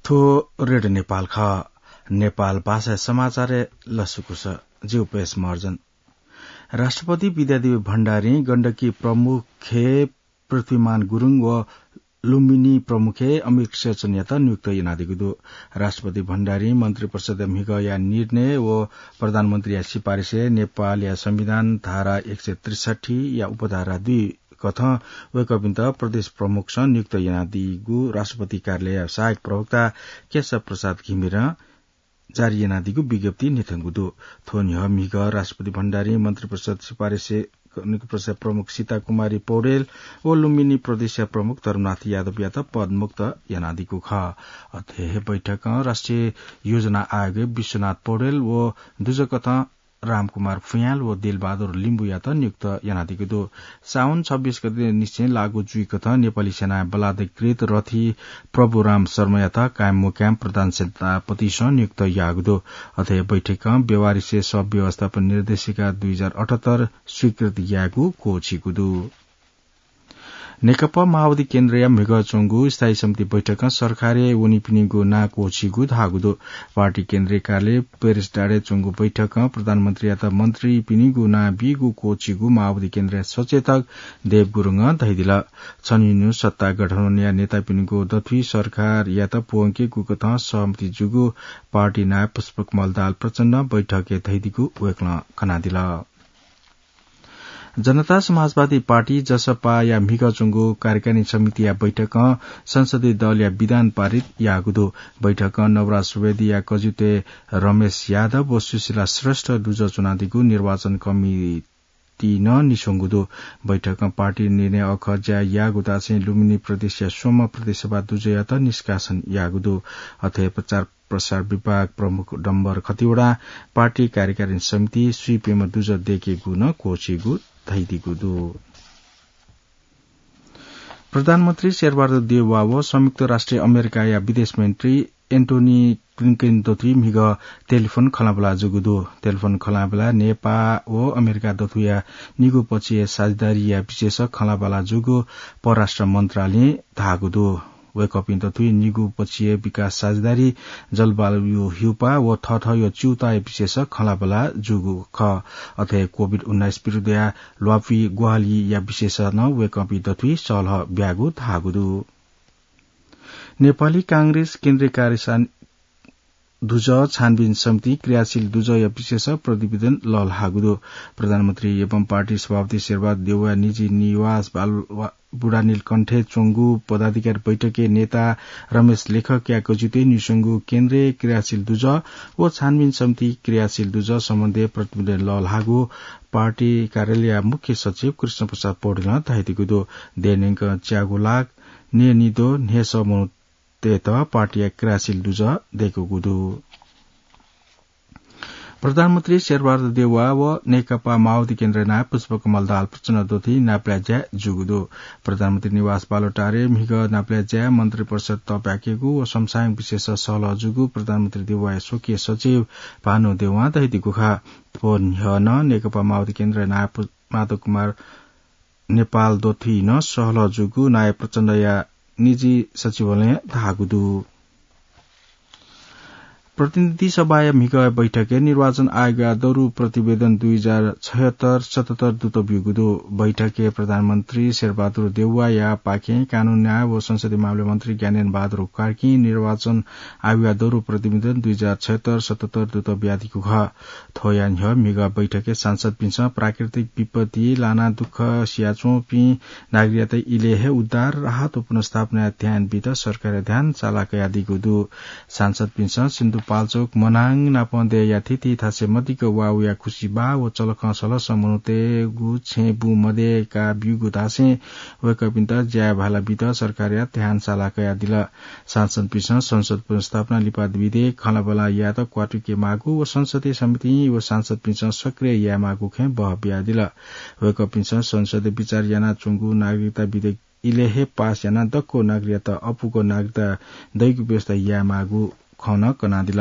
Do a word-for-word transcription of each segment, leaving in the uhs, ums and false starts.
थ्व रेडियो नेपाल खः। नेपाल भाषा समाचारय् लसकुस। जिगु पेश महर्जन। राष्ट्रपति विद्यादेवी भण्डारीं गण्डकी प्रमुखय् पृथ्वीमान गुरुङ व लुम्बिनी प्रमुखय् अमिर शेरचनयात नियुक्त यानादीगु दु। राष्ट्रपति भण्डारीं मन्त्रिपरिषदया म्हिगःया निर्णय व प्रधानमन्त्रीया सिफारिसय् नेपालया संविधान धारा एक सय त्रिसठ्ठी या उपधारा दुई कथं वय्कःपिन्त प्रदेश प्रमुखसं नियुक्त यानादीगु राष्ट्रपति कार्यालयया सहायक प्रवक्ता केशव प्रसाद घिमिरें जारी यानादीगु विज्ञप्तिइ न्ह्यथंगु दु। थ्व न्ह्यः म्हिगः राष्ट्रपति भण्डारीं मन्त्रिपरिषद सिफारिसय् मन्त्रिपरिषद प्रमुख सीता कुमारी पौडेल व लुम्बिनी प्रदेशया प्रमुख धर्मनाथ यादवयात पदमुक्त यानादीगु खः। अथे हे बैठकं राष्ट्रिय योजना आयोगय् विश्वनाथ पौडेल व दुजःकथं रामकुमार फुयाँल व दिलबहादुर लिम्बुयात नियुक्त यानादीगु दु। साउन छब्बीस गते निसें लागू जुइकथं नेपाली सेनां बलाधिकृत रथी प्रभुराम शर्मायात कायम मुकायम प्रधान सेनापतिसं नियुक्त याःगु दु। अथे बैठकं व्यवहारिसे सब व्यवस्थापन निर्देशिका दुई हजार अठहत्तर स्वीकृत यायेगु क्वःछीगु दु। नेकपा माओवादी केन्द्रया म्हिगः च्वंगु स्थायी समिति बैठकं सरकारय् वनीपिनिगु नां क्वःछीगु धाःगु दु। पार्टी केन्द्रीय कार्यालय पेरिस डाँडाय् च्वंगु बैठकं प्रधानमन्त्रीयात मन्त्रीपिनिगु नां बीगु क्वःछीगु माओवादी केन्द्रया सचेतक देव गुरुङं धयादिल। छन्हुनिन्हु सत्ता गठबन्धनया नेतापिनिगु दथुइ सरकारयात प्वंकेगु कथं सहमति जूगु पार्टी नायः पुष्पकमल दाहाल प्रचण्डं बैठकय् धयादीगु वय्कलं कनादिल। जनता समाजवादी पार्टी, जसपाया म्हिगः च्वंगु कार्यकारिणी समितिया बैठकं संसदीय दलया विधान पारित याःगु दु। बैठकं नवराज सुवेदीया कजित्वय् रमेश यादव व सुशीला श्रेष्ठ दुजः च्वनादीगु निर्वाचन कमिटीं निस्वंगु दु। बैठकं पार्टी निर्णय अखः ज्या याःगु धासें लुम्बिनी प्रदेशया स्वम्ह प्रदेश सभा दुजःयात निष्कासन याःगु दु। अथे प्रचार प्रसार विभाग प्रमुख डम्बर खतिवडां पार्टी कार्यकारिणी समितिइ स्वीप्यम्ह दुजः दय्केगु नं क्वःछीगु धयादीगु दु। प्रधानमन्त्री शेरबहादुर देउवा व संयुक्त राष्ट्र अमेरिकाया विदेश मन्त्री एन्टोनी ब्लिंकेन दथुइ म्हिगः टेलिफोन खँल्हाबल्हा जूगु दु। टेलिफोन खँल्हाबल्हाय् नेपाः व अमेरिका दथुया निगू पक्षीय साझेदारीया विषयस खँल्हाबल्हा जूगु परराष्ट्र मन्त्रालयं धाःगु दु। वय्कःपिं दथुइ निगू पक्षीय विकास साझेदारी, जलवायु हिउपाः व थःथःया च्यूताःया विषयस खँल्हाबल्हा जूगु खः। अथे कोभिड उन्नाइस विरुद्धया ल्वापुइ ग्वाहालिया विषयस नं वय्कःपिं दथुइ सल्लाह ब्यागु धाःगु दु। नेपाली कांग्रेस केन्द्रीय कार्यकारिणी दुजः छानबिन समितिं क्रियाशील दुजःया विषयस प्रतिवेदन लःल्हाःगु दु। प्रधानमन्त्री एवं पार्टी सभापति शेरबहादुर देउवाया निजी निवास बाल-, वा-, बुढानीलकण्ठय् च्वंगु पदाधिकारी बैठकय् नेता रमेश लेखकया कजित्वय् निस्वंगु केन्द्रीय क्रियाशील दुजः व छानबिन समिति क्रियाशील दुजः सम्बन्धय् प्रतिवेदन लःल्हाःगु पार्टी कार्यालयया मुख्य सचिव कृष्ण प्रसाद पौडेलं धयादीगु दु। देय् न्यंकं च्यागू लाख न्यय्निद्वः न्हय्सः मनू तय्त पार्टीया क्रियाशील दुजः दय्कूगु दु। प्रधानमन्त्री शेरबहादुर देउवा व नेकपा माओवादी केन्द्रया नायः पुष्पकमल दाहाल प्रचण्ड दथुइ नापलाये ज्या जूगु दु। प्रधानमन्त्री निवास बालुवाटारय् म्हिगः नापलाये ज्याय् मन्त्रिपरिषद तःप्याकेगु व समसामयिक विषयस सल्लाह जूगु प्रधानमन्त्री देउवाया स्वकीय सचिव भानु देउवां धयादीगु खः। थ्व न्ह्यः नं नेकपा माओवादी केन्द्रया नायः पु-, माधव कुमार नेपाल दथुइ नं सल्लाह जूगु नायः प्रचण्डया निजी सचिवालयं धाःगु दु। प्रतिनिधि सभाया म्हिगः बैठकय् निर्वाचन आयोगया दरु प्रतिवेदन दुई हजार छयत्तर सतहत्तर दुत ब्यूगु दु। बैठकय् प्रधानमन्त्री शेरबहादुर देउवाया पाखें कानून न्याय व संसदीय मामला मन्त्री ज्ञानेन्द्र बहादुर कार्कीं निर्वाचन आयोगया दरु प्रतिवेदन दुई हजार छयत्तर सतहत्तर दुत बियादीगु खः। थ्वया न्ह्यः म्हिगः बैठकय् सांसदपिन्सं प्राकृतिक विपत्ति लानाः दुःख सियाच्वंपिं नागरिकयात इलय् हे उद्धार, राहत व पुनर्स्थापनाय् ध्यान बीत सरकारया ध्यान साला कयादीगु दु। सांसदपिन्सं सिन्धुपाल्चोक मनाङ नापं देय्‌या थीथी थासय् मदिक्क वा वयाः खुसिबाः व चलखं सलस मनूतय्‌गु छेँ बुँ मदय्‌का ब्यूगु धासें वय्‌कःपिन्त ज्याय् भाला बीत सरकारया ध्यान साला कयादिल। सांसदपिन्सं संसद पुनर्स्थापना लिपा विधेयक खँल्हाबल्हा यायेत क्वातुके माःगु व संसदीय समितिं व सांसदपिन्सं सक्रिय याये माःगु खँय् बहः बियादिल। वय्‌कःपिन्सं संसदय् बिचाः यानाच्वंगु नागरिकता विधेयक इलय् हे पास यानाः दक्व नागरिकयात अप्वःगु नागरिकता दइगु व्यवस्था याये माःगु खँ नं कनादिल।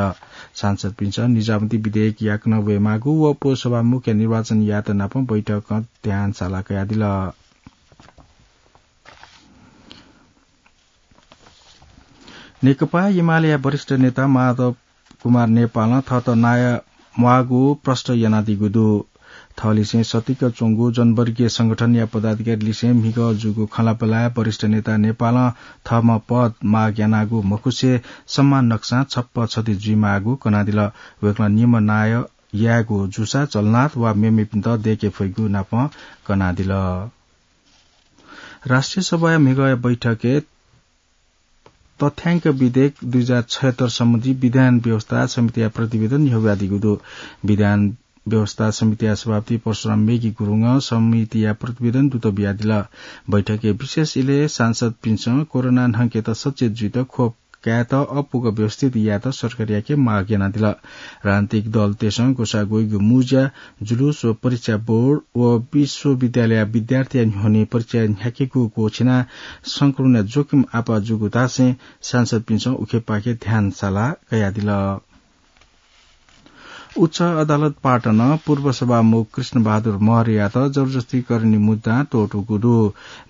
सांसदपिन्सं निजामती विधेयक याकनं वये माःगु व पौसभा मुख्य निर्वाचन यायेत नापं बैठकं ध्यान साला कयादिल। नेकपा एमालेया वरिष्ठ नेता माधव कुमार नेपालं थःत नायः म्वाःगु प्रष्ट यानादीगु दु। थःलिसें सतिक च्वंगु जनवर्गीय संगठनया पदाधिकारीलिसें म्हिगः जूगु खँल्हाबल्हाय् वरिष्ठ नेता नेपालं थःम्हं पद माग यानागु मखुसे सम्मान नकसां छप्पा छति जुइमाःगु कनादिल। वय्कलं निम्ह नायः यायेगु जूसा जलनाथ वा मेमेपिन्त दय्के फइगु नापं कनादिल। राष्ट्रिय सभाया म्हिगःया बैठकय् तथ्याङ्क विधेयक दुई हजार छयत्तर सम्बन्धी विधान व्यवस्था समितिया प्रतिवेदन न्ह्यब्वयादीगु दु। विधान व्यवस्था समितिया सभापति परशुराम मेघी गुरुङं समितिया प्रतिवेदन दुत बियादिल। बैठकय् विशेष इलय् सांसदपिन्सं कोरोना न्हंकेत सचेत जुइत खोप कायेत अप्वः व्यवस्थित यायेत सरकारयाके माग यानादिल। राजनीतिक दलतय्सं ग्वसाः ग्वइगु मुँज्या, जुलुस व परीक्षा बोर्ड व विश्वविद्यालयया विद्यार्थीया न्ह्यःने परीक्षा न्ह्याकेगु क्वःछिनाः संक्रमणया जोखिम आपाः जूगु धासें सांसदपिन्सं उखेपाखे ध्यान साला कयादिल। उच्च अदालत पाटनं पूर्व सभामुख कृष्णबहादुर महर्यात जबरजस्तीकरणया मुद्दां त्वःतूगु दु।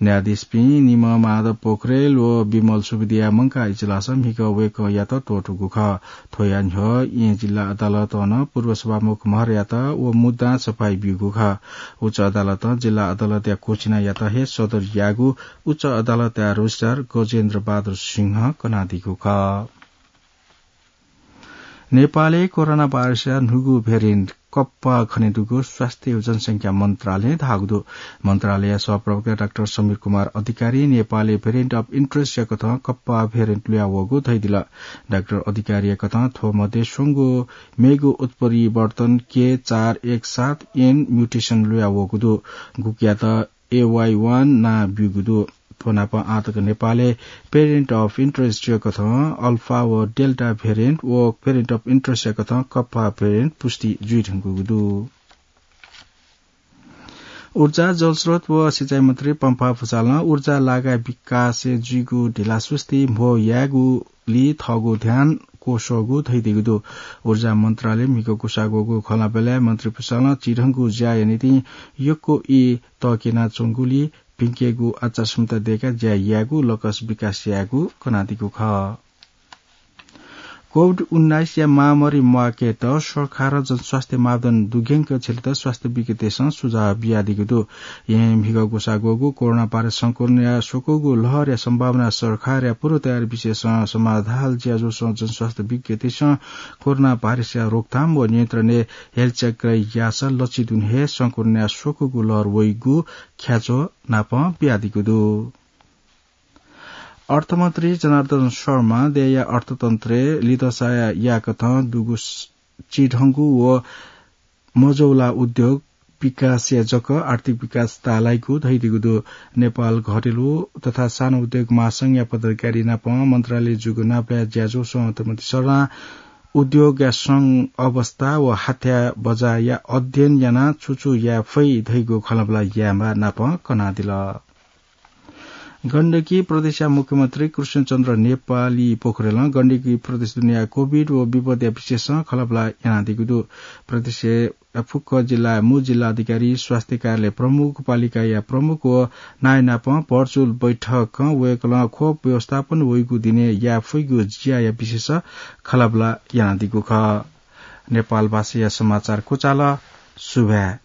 न्यायाधीशपिं निम्ह माधव पोखरेल व विमल सुवेदीया मंकाः इजलासं म्हिगः वय्कःयात त्वःतूगु खः। थ्वया न्ह्यः येँ जिल्ला अदालतं नं पूर्व सभामुख महर्यात व मुद्दां सफाई ब्यूगु खः। उच्च अदालतं जिल्ला अदालतया क्वःछिनायात हे सदर याःगु उच्च अदालतया रजिस्ट्रार गजेन्द्र बहादुर सिंहं कनादीगु खः। नेपालय् कोरोना भाइरसया न्हूगु भेरिएन्ट कप्पा खनेदुगु स्वास्थ्य व जनसंख्या मन्त्रालयं धाःगु दु। मन्त्रालयया सहप्रवक्ता डाक्टर समीर कुमार अधिकारीं नेपालय् भेरिएन्ट अफ इन्ट्रेस्टया कथं कप्पा भेरिएन्ट लुयावःगु धयादिल। डाक्टर अधिकारीया कथं थ्व मध्ये स्वंगु मेगु उत्परिवर्तन के चार एक सात एन म्युटेसन लुयावःगु दु। गुकियात एवाई वान नां ब्यूगु दु। थ्व नाप आःतक नेपालय् भेरिएन्ट अफ इन्ट्रेस्टया कथं अल्फा व डेल्टा भेरिएन्ट व भेरिएन्ट अफ इन्ट्रेस्टया कथं कप्पा भेरिएन्ट पुष्टि जुइधुंकूगु दु। ऊर्जा, जलस्रोत व सिँचाइ मन्त्री पम्फा भुसालं ऊर्जा लागाय् विकासय् जुइगु ढिलासुस्ती म्हो यायेगुली थःगु ध्यान क्वस्वःगु धयादीगु दु। ऊर्जा मन्त्रालयं म्हिगः ग्वसाः ग्वःगु खँल्हाबल्हाय् मन्त्री भुसालं चिधंगु ज्याया निंतिं यक्व ई तःकेनाच्वंगुली भिंकेगु आचार संहिता दय्काः ज्या यायेगु लकस विकास यायेगु कनादीगु खः। कोभिड उन्नाइसया महामारी म्वाकेत सरकारं जनस्वास्थ्य मापदण्ड दुग्यंक झ्यलेत स्वास्थ्य विज्ञतय्सं सुझाव बियादीगु दु। येँ म्हिगः ग्वसाः ग्वःगु कोरोना भाइरस संक्रमणया स्वकूगु लहरया सम्भावना सरकारया पूर्व तयारी विषयसं समाधाल ज्याझ्वलय् जनस्वास्थ्य विज्ञतय्सं कोरोना भाइरसया रोकथाम व नियन्त्रणय् हेलचक्र याःसा लच्छि दुने हे संक्रमणया स्वकूगु लहर वइगु ख्याच्वः नापं बियादीगु दु। अर्थमन्त्री जनार्दन शर्मां देय्या अर्थतन्त्रय् लिधंसाया याकथं दुगु स-, चिधंगु व मजौला उद्योग विकासया जक आर्थिक विकास ताःलाइगु धयादीगु दु। नेपाल घरेलु तथा सानो उद्योग महासंघया पदाधिकारी नाप मन्त्रालयय् जूगु नापलाये ज्याझ्वलय् अर्थमन्त्री शर्मां उद्योगया सं अवस्था व हाथ्या बजारया अध्ययन यानाः छु छु याये फइ धइगु खँल्हाबल्हा यायेमाः नाप कनादिल। गण्डकी प्रदेशया मुख्यमन्त्री कृष्णचन्द्र नेपाली पोखरेलं गण्डकी प्रदेश दुनेया कोभिड व विपदया विषयसं खँल्हाबल्हा यानादीगु दु। प्रदेशया फुक्क जिल्लाया मू जिल्ला अधिकारी, स्वास्थ्य कार्यालय प्रमुख, पालिकाया प्रमुख व नायःनाप भर्चुअल बैठकं वय्कलं खोप व्यवस्थापन वइगु दिनय् याये फइगु ज्याया विषयसं खँल्हाबल्हा यानादीगु खः। नेपाल भाषाया समाचार क्वचाल। सुभाय्।